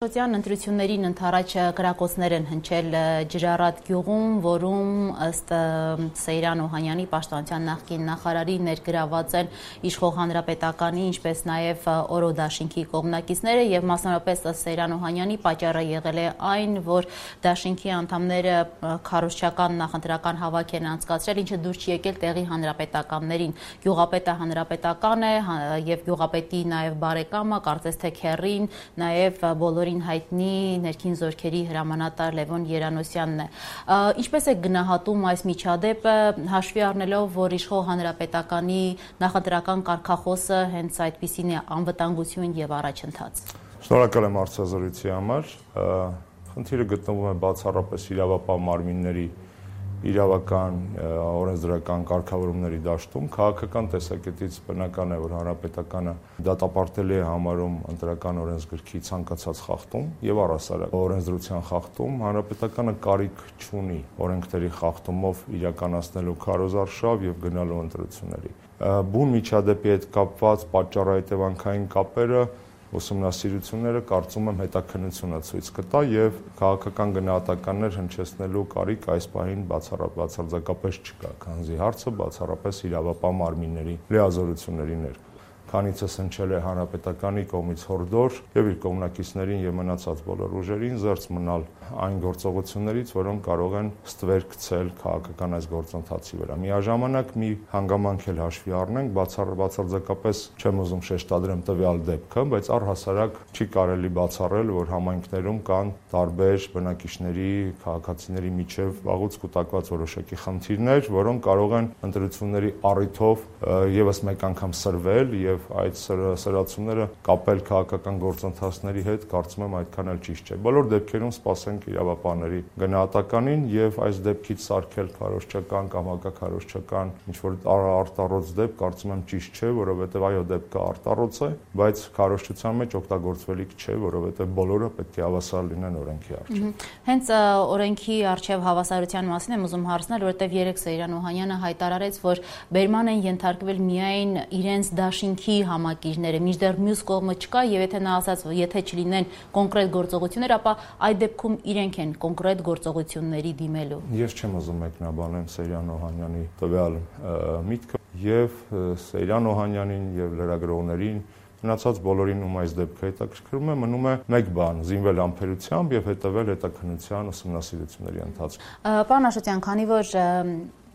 Շոտյան ընտրություններին ընդառաջ գրակոծներ են հնչել Ջրառատ գյուղում, որում ըստ Սեյրան Օհանյանի պաշտպանության նախկին նախարարի ներգրաված են իշխող հանրապետականի, ինչպես նաև Օրո դաշինքի կողմնակիցները եւ մասնավորապես ըստ Սեյրան Օհանյանի պատճառը եղել է այն, որ դաշինքի անդամները քարոզչական նախընտրական հավաք են անցկացրել, ինչը դուր չի եկել տեղի հանրապետականներին։ Գյուղապետը հանրապետական է եւ գյուղապետի նաև բարեկամը, կարծես թե քեռին, նաև բոլորի հայտնի ներքին զորքերի հրամանատար Լևոն Երանոսյանն է։ Ինչպես է գնահատում այս միջադեպը, հաշվի առնելով, որ իշխող հանրապետականի նախընտրական կարգախոսը հենց այդպիսին է՝ անվտանգություն եւ առաջընթաց։ Շնորհակալ եմ հարցազրույցի համար։ Խնդիրը գտնվում է բացառապես իրավապահ մարմինների իրավական օրենսդրական կարգավորումների դաշտում, քաղաքական տեսակետից բնական է, որ հանրապետականը դատապարտելի է համարում ընտրական օրենսգրքի ցանկացած խախտում եւ առհասարակ օրենսդրության խախտում, հանրապետականը կարիք չունի օրենքների խախտումով իրականացնելու քարոզարշավ եւ գնալու ընտրությունների։ Բուն միջադեպի հետ կապված պատճառահետևանքային կապերը ուսումնասիրությունները կարծում եմ հետաքննությունը ցույց կտա եւ քաղաքական գնահատականներ հնչեցնելու կարիք այս պահին բացարձակապես չկա, քանզի հարցը բացառապես իրավապահ մարմինների լիազորությունների ներքո։ Քանիցս հնչել է հանրապետականի կողմից հորդոր եւ իր կողմնակիցներին եւ մնացած բոլոր ուժերին զերծ մնալ այն գործողություններից, որոնք կարող են ստվեր գցել քաղաքական այս գործընթացի վրա։ Միաժամանակ մի հանգամանք էլ հաշվի առնենք, բացարձակապես չեմ ուզում շեշտադրեմ տվյալ դեպքը, բայց առհասարակ չի կարելի բացառել, որ համայնքներում կան տարբեր բնակիչների, քաղաքացիների միջև վաղուց կուտակված որոշակի խնդիրներ, որոնք կարող են ընտրությունների առիթով եւս մեկ անգամ սրվել եւ այդ սրացումները կապել քաղաքական գործընթացների հետ, կարծում եմ այդքան էլ ճիշտ չէ։ Բոլոր դեպքերում սպասենք իրավապահների գնահատականին եւ այս դեպքից սարքել քարոզչական կամ հակաքարոզչական ինչ-որ արտառոց դեպք, կարծում եմ ճիշտ չէ, որովհետեւ այո, դեպքը արտառոց է, բայց քարոզչության մեջ օգտագործվելիք չէ, որովհետեւ բոլորը պետք է հավասար լինեն օրենքի առջև։ Հենց օրենքի առջև հավասարության մասին եմ ուզում հարցնել, որովհետեւ երեք Սեյրան Օհանյանը հայտարարեց, որ բերման են ենթարկվել միայն իրենց դաշինքի համակիրները, մինչդեռ մյուս կողմը չկա եւ եթե նա ասաց, եթե չլինեն կոնկրետ գործողություններ, ապա այդ դեպքում իրենք են կոնկրետ գործողությունների դիմելու։ Ես չեմ ուզում մեկնաբանեմ Սեյրան Օհանյանի տվյալ միտքը եւ Սեյրան Օհանյանին եւ լրագրողներին մնացած բոլորին ում այս դեպքը հետաքրքրում է, մնում է մեկ բան՝ զինվել ամբերությամբ եւ հետեւել հետաքննության ուսումնասիրությունների ընթացքում։ Պարոն Աշոտյան, քանի որ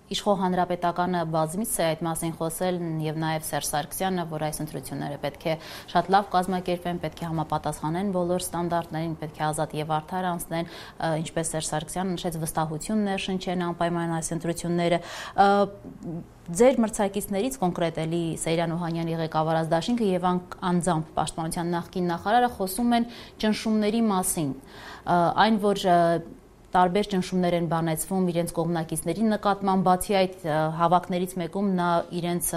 Իշխող հանրապետականը բազմիցս է այդ մասին խոսել եւ նաեւ Սերժ Սարգսյանը, որ այս ընտրությունները պետք է շատ լավ կազմակերպվեն, պետք է համապատասխանեն բոլոր ստանդարտներին, պետք է ազատ եւ արդար անցնեն, ինչպես Սերժ Սարգսյանը նշեց, վստահություն ներշնչեն անպայման այս ընտրությունները։ Ձեր մրցակիցներից կոնկրետ էլի Սեյրան Օհանյանի ղեկավարած դաշինքը եւ անձամբ պաշտպանության նախկին նախարարը խոսում են ճնշումների մասին, այն որ տարբեր ճնշումներ են բանեցվում իրենց կողմնակիցների նկատմամբ, բացի այդ հավաքներից մեկում նա իրենց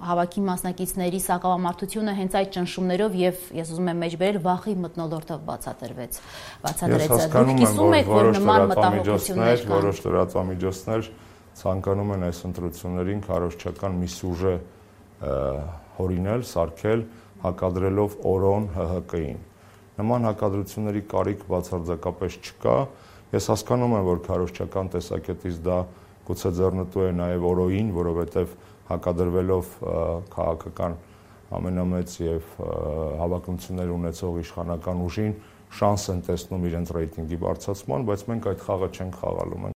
հավաքի մասնակիցների սակավամարտությունը հենց այդ ճնշումներով եւ ես ուզում եմ մեջբերել վախի մթնոլորտով բացատրեց։ Դուք կիսում եք, որ նման մտահոգություններ կան։ Որոշ լրատվամիջոցներ ցանկանում են այս ընտրություններին քարոզչական մի սյուժե հորինել, սարքել, հակադրելով օրոն ՀՀԿ-ին։ Նման հակադրությունների կարիք բացարձակապես չկա։ Ես հասկանում եմ, որ քարոզչական տեսակետից դա գուցե ձեռնտու է նաև օրոյին, որովհետև հակադրվելով քաղաքական ամենամեծ եւ հավակնություններ ունեցող իշխանական ուժին շանս են տեսնում իրենց ռեյտինգի բարձրացման, բայց մենք այդ խաղը չենք խաղալու։